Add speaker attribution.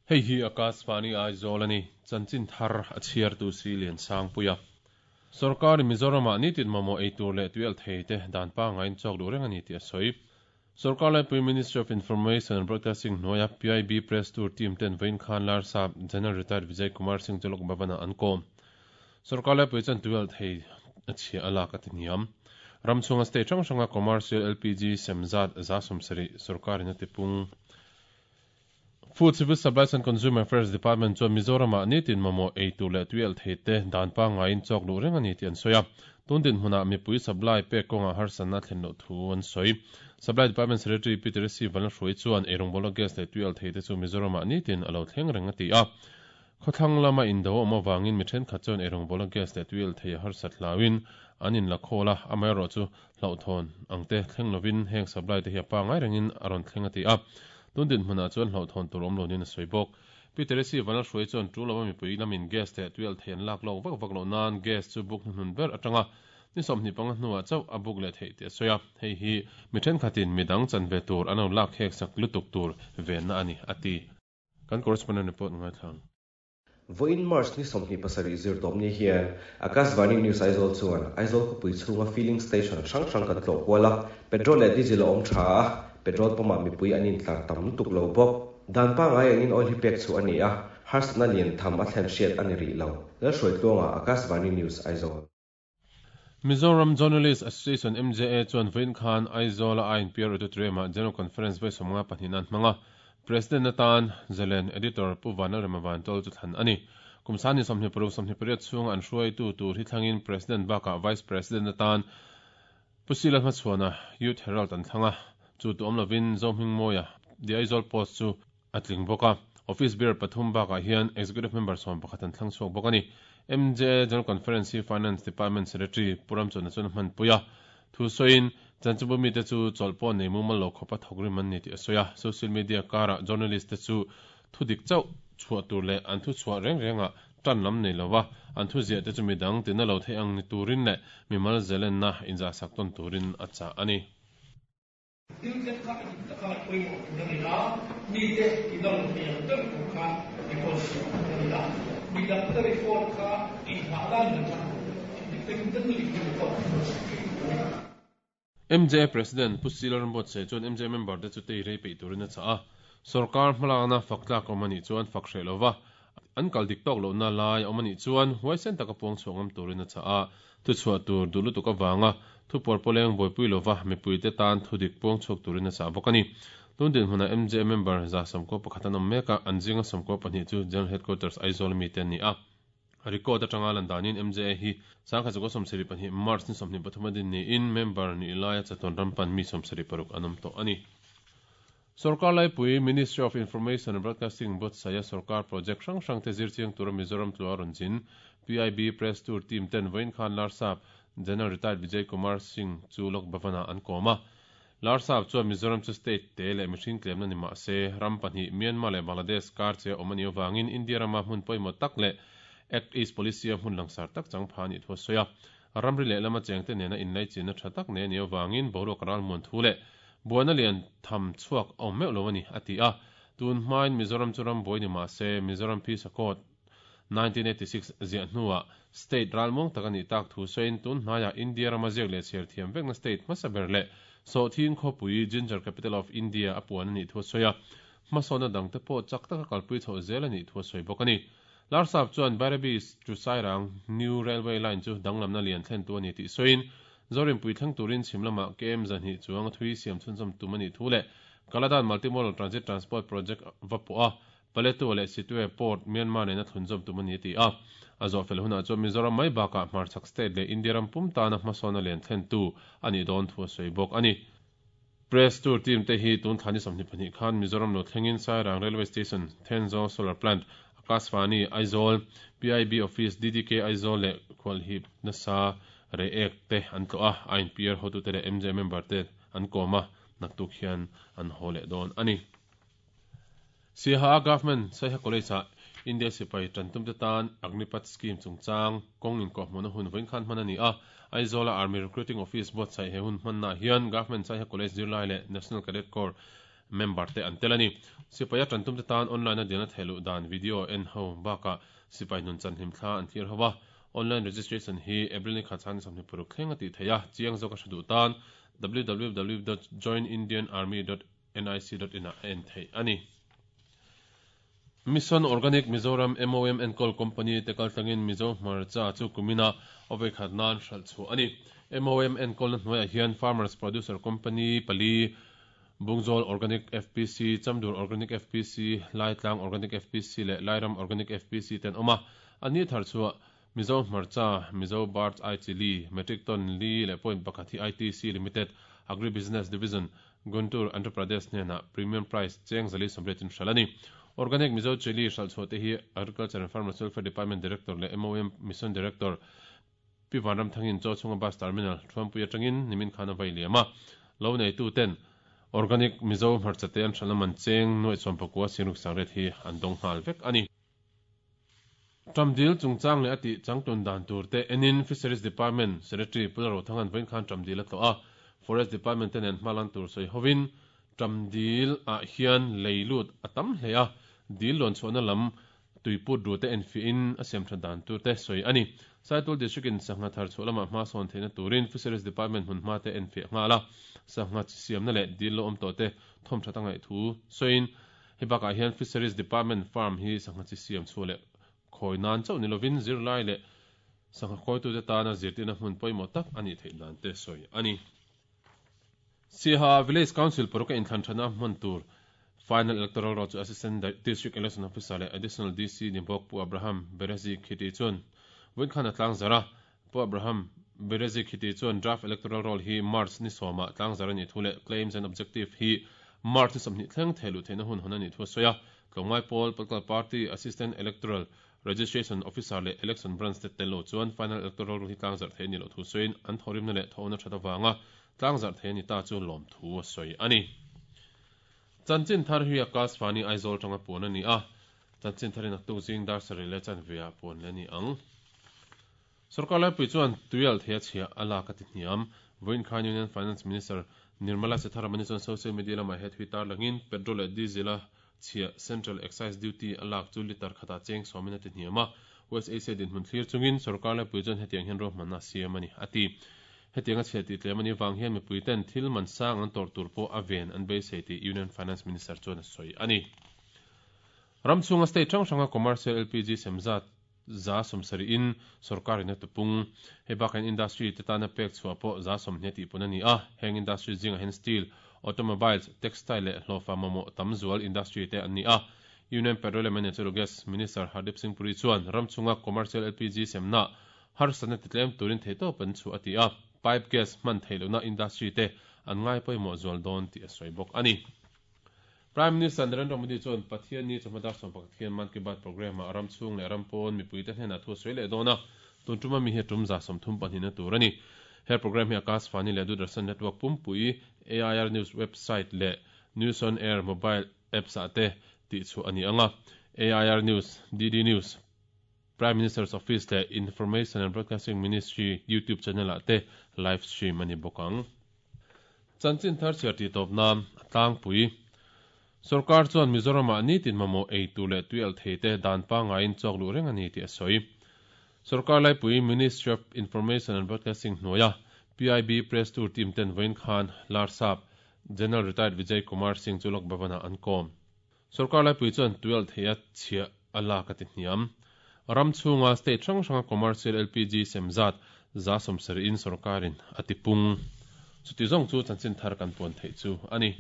Speaker 1: Hei hi Akashvani Aizawl a ni, chanchin thar a chhiartu si Liansangpuia. Sorkarin Mizoramah nitin mamawh ei tur leh tuialh thei te dan pangaiin chawk duh reng a ni tih a sawi. Sorkar laipui Ministry of Information and Broadcasting hnuaia PIB Press Tour team ten vawiin khan Larsap General Retired Vijay Kumar Singh chu Lok Bhavan-ah an kawm. Sorkar laipui chuan tuialh thei a chhia a lak a ti hniam. Ram chhunga state hrang hranga commercial LPG sem zat 70% sorkarin a tipung. Food, Civil Supplies and Consumer Affairs Department chuan Mizoramah nitin mamawh ei tur leh tuialh thei te dan pangaiin chawk luh reng a ni tih an sawi a. Tun dinhmunah mipui supply pek kawngah harsatna a thlen loh thu an sawi. Supply Department Secretary Pi Teresi Vanlalhruai chuan eirawngbawl a gas leh tuialh thei te chu Mizoramah nitin a lo thleng reng a ti a. Khawthlang lama indo a awm avangin mi thenkhat chuan eirawngbawl a gas leh tuialh thei a harsat hlauin an inla khawl a, amaherawhchu hlauhthawn ang te thleng lovin heng supply te hi a pangai rengin a rawn thleng a ti a. Tun dinhmunah chuan hlauhthawn tur awm lo niin a sawi bawk. Pi Teresi Vanlalhruai chuan tul lova mipui lamin gas leh tuialh thei an lak lawk vak vak loh nan gas chu buk hnuhnun ber atanga ni 25 hnuah chauh a buk leh theih tih a sawi a, hei hi mi thenkhatin midang chanve tur an lo lak khek sak lutuk tur venna a ni, a ti. Kan correspondent report ngaithla ang.
Speaker 2: Vawiin March ni 27 zirtawp ni hian Akashvani News Aizawl chuan Aizawl khawpui chhunga filling station hrang hrang kan tlawh kual a, petrol leh diesel a awm tha a, petrol pump ah mipui an intlar tam lutuk lo bawk. Dan pangai angin oil hi pek chhuah a ni a, harsatna lian tham a thlen hriat a ni rih lo. Lalhruaitluanga, Akashvani News Aizawl.
Speaker 1: Mizoram Journalist Association, MJA, chuan vawiin khan Aizawl-a INPR Auditorium-ah General Conference vawi 52 nan hmang a, President atan Zalen Editor Pu Vanlalrema Vantawl chu thlan a ni. Kum sani 26 28 chhunga an hruaitu tur hi thlangin President bakah Vice President atan Pu Sila Hmachhuana Youth Herald an thlang a, chu tu awm lovin Zohmingmawia The Aizawl Post chu a tling bawk a. Office bearer pathum bakah hian Executive Member 11 an thlang chhuak bawk a ni. MJA General Conference hi Finance Department Secretary Pu Ramchawna chuan a hmanpui a. Thu sawiin, Chanchinbu mite chu chawlh pawh nei mumal lo khawpa thawk rim an ni tih a sawi a. Social media karah journalist te chu thu dik chauh chhuah tur leh an thu chhuah reng rengah tan lam nei lova an thu ziah te chu midang tina lo theih ang ni turin leh mimal zelenna inzahsak tawn turin a chah a ni.
Speaker 3: Thil tlem kha a dik taka pawimawh tur a ni a, mite tina lo thei ang ber tur khan record siam tur a ni a, midangte record kha inghah nan in atang independently record siam thei tur a ni.
Speaker 1: MJA President Pu Sila Rambuatsaih chuan MJA member te chu tei rei peih turin a chah a, sorkar hmalakna fak tlak awm a nih chuan fak hreh lova an kal dik tawk lohna lai a awm a nih chuan huaisen taka puang chhuah ngam turin a chah a, thuchhuah tur duh lutuk avanga thu puarpawleng buaipui lova mipuite tan thu dik puang chhuak turin a chah bawk a ni. Tun dinhmunah MJA member 91 an awm mek a, an zinga 12 chu General Headquarters Aizawl mite an ni a. Record atanga lan danin MJA hi 1972 March ni 23 a din niin member nih laia chatuan ram pan mi 76 an awm tawh a ni. Sorkar laipui Ministry of Information and Broadcasting buatsaia sorkar project hrang hrang te zirchiang tura Mizoram tlua rawn zin PIB Press Tour team ten vawiin khan Larsap General Retired Vijay Kumar Singh chu Lok Bhavan-ah an kawm a. Larsap chuan Mizoram chu state te leh mihring tlemna ni mah se, ram pahnih Myanmar leh Bangladesh kar che a awm a nih avangin India rama hmun pawimawh tak leh Act East Policy-a hmun langsar tak chang pha a nih thu a sawi a. Ramri lehlama chengte nena inlaichinna tha tak nei a nih avangin boruak ralmuan thu leh buaina lian tham chhuak a awm meuh lo a ni, a ti a. Tun hmain Mizoram chu ram buai ni mah se, Mizoram Peace Accord 1986 ziah hnuah state ralmuang tak a nih tak thu sawiin tun hnaiah India rama ziak leh chhiar thiam vekna state hmasa ber leh Sawhthing khawpui Ginger Capital of India a puan a nih thu a sawi a. Hmasawnna dangte pawh chak taka kalpui chhoh zel a nih thu a sawi bawk a ni. Larsap chuan Bairabi to Sairang New Railway Line chu danglamna lian thlentu a ni tih sawiin Zorinpui thleng turin chhim lamah KM 200 chuang a thui siam chhunzawm tum a nih thu leh Kaladan Multimodal Transit Transport Project va pawh a Paletwa leh Sittwe Port, Myanmar nena thlunzawm tum a ni a ti a. A zawhfel hunah chuan Mizoram mai bakah hmarchhak state leh India ram pum tana hmasawnna lian thlentu a nih dawn thu a sawi bawk a ni. Press Tour team te hi tun thla ni 22 khan Mizoram lo thlengin Sairang Railway Station, Thenzawl Solar Plant, Akashvani, Aizawl, PIB Office, DDK Aizawl leh Khualhip nasa Reiek te an tlawh a, INPR hotute leh MJ member te an kawm a, naktuk hian an haw leh dawn a ni. Siaha Government Saiha College-ah India sipai tantumte tan Agnipath Scheme chungchang kawng inkawhhmuhna hun vawiin khan hman a ni a. Aizawla Army Recruiting Office buatsaih he hun hmannaah hian Government Saiha College zirlai leh National Cadet Corps member te an tel a ni. Sipaia tantum te tan online a dilna theih luh dan video en ho bakah sipai nun chan hlimthla an thlir ho a. Online registration hi April ni khat chhan 26 thleng a tih theih a, chiang zawk a hre duh tan www.joinindianarmy.nic.in ah a en theih a ni. Mission Organic Mizoram, MOM, enkawl company te kaltlangin Mizo hmarcha chu kumina a vawikhat nan hralh chhuah a ni. MOM enkawlna hnuaiah hian Farmers Producer Company pali, Bungzawl Organic FPC, Chamdur Organic FPC, Laitlang Organic FPC leh Lairam Organic FPC te an awm a. An ni thar chhuah Mizo hmarcha, Mizo Bird's Eye Chilli, metric ton li leh point pakhat hi ITC Limited, Agri Business Division, Guntur, Andhra Pradesh hnenah premium price cheng 480 in hralh a ni. Organic Mizo Chilli hralh chhuah te hi Agriculture and Farmers Welfare Department Director leh MOM Mission Director Pi Vanramthangin Chaw chhunga Bus Terminal Thuampui atangin nimin khan a vai liam a. Lo neitu ten Organic Mizo hmarcha te an hralhna man cheng nuaih sawmpakua singruk sangriat hi an dawng nghal vek a ni. Ṭamdil chungchang leh a tih changtlun dan tur te enin Fisheries Department Secretary Pu Lalrothanga'n vawiin khan ṭamdil a tlawh a, Forest Department te nen hma lan tur sawi hovin ṭamdil ah hian lei lut a tam hle a, dil luan chhuahna lam tuiput ru te enfiahin a siam ṭhat dan tur te sawi a ni. Saitul District in sangha thar chhuah lamah hma sawn theihna turin Fisheries Department hmun hma te enfiah nghal a, sangha chi siamna leh dil lo awm tawh te thawm ṭhat a ngaih thu sawiin Hei bakah hian Fisheries Department farm hi sangha chi siam chhuah leh khawi nan chauh ni lovin zirlai leh sangha khawitute tana zirtirna hmun pawimawh tak a nih theih dan te sawi a ni. Siaha Village Council paruk a inthlan thana hman tur Final Electoral Roll chu Assistant District Election Officer leh Additional DC ni bawk Pu Abraham Berezi Khiti chuan vawiin khan a tlangzarh a. Pu Abraham Berezi Khiti chuan Draft Electoral Roll hi March ni sawmah tlangzarh a nih thu leh Claims and Objective hi March ni 20 thleng theh luh theihna hun hawn a nih thu a sawi a. Tlawmngai pawl, Political Party, Assistant Electoral Registration Officer leh Election Branch te tel lo chuan Final Electoral Roll hi tlangzarh theih a nih loh thu sawiin an thawhrimna leh thawhna that avanga tlangzarh theih a ni ta chu lawmthu a sawi a ni. Chanchin thar hi Akashvani Aizawl tanga puan a ni a, chanchin tharin a tuk zing dar sarih leh chanve ah puan leh a ni ang. Sorkar laipui chuan tuial thei a chhia a lak a ti hniam. Vawiin khan Union Finance Minister Nirmala Sitharaman-i chuan social media lamah he thui tarlangin petrol leh diesel a chhia Central Excise Duty a lak chu litre khatah cheng sawmin a ti hniam a. West Asia dinhmun thlir chungin sorkar laipui chuan hetiang hian ruahmanna a siam a ni, a ti. Hetiang a chhia tih tlem a nih vang hian mipuiten thil man sang an tawrh tur pawh a ven an beisei tih Union Finance Minister chuan a sawi a ni. Ram chhunga state hrang hranga commercial LPG sem zat 70% in sorkar in a tupung. Hei bakah hian industry te tana pek chhuah pawh 20% tih pun a ni a. Heng industry zingah hian steel, automobiles, textile leh hlawhfa mamawh tam zual industry te an ni a. Union Petroleum and Natural Gas Minister Hardeep Singh Puri chuan ram chhunga commercial LPG semna harsatna titlem turin theihtawp an chhuah a ti a. Pipe gas hman theih lohna industry te an ngai pawimawh zual dawn tih a sawi bawk a ni. Prime Minister Narendra Modi chuan Pathianni chawhma dar 11 hian Mann Ki Baat programme-ah ram chhung leh ram pawn mipuite hnenah thu a sawi leh dawn a, tun tuma mi hi a tum 32 na tur a ni. He programme hi Akashvani leh Doordarshan Network pumpui, AIR News website leh News on Air mobile apps-ah te tihchhuah a ni ang a. AIR News, DD News, Prime Minister's Office leh Information and Broadcasting Ministry YouTube channel-ah te live stream a ni bawk ang. Chanchin thar chhiar tih tawp nan a tlangpui. Sorkar chuan Mizoram-ah nitin mamawh ei tur leh tui alh thei te dan pangaiin chawk luh reng a ni tih a sawi. Sorkar laipui Ministry of Information and Broadcasting hnuaia PIB Press Tour team ten vawiin khan Larsap General Retired Vijay Kumar Singh chu Lok Bhavan-ah an kawm. Sorkar laipui chuan tui alh thei a chhiah a lak a ti hniam. Ram chhunga state hrang hranga commercial LPG sem zat 70% in sorkarin a ti pung. Chuti zawng chu chanchin thar kan puan theih chu a ni.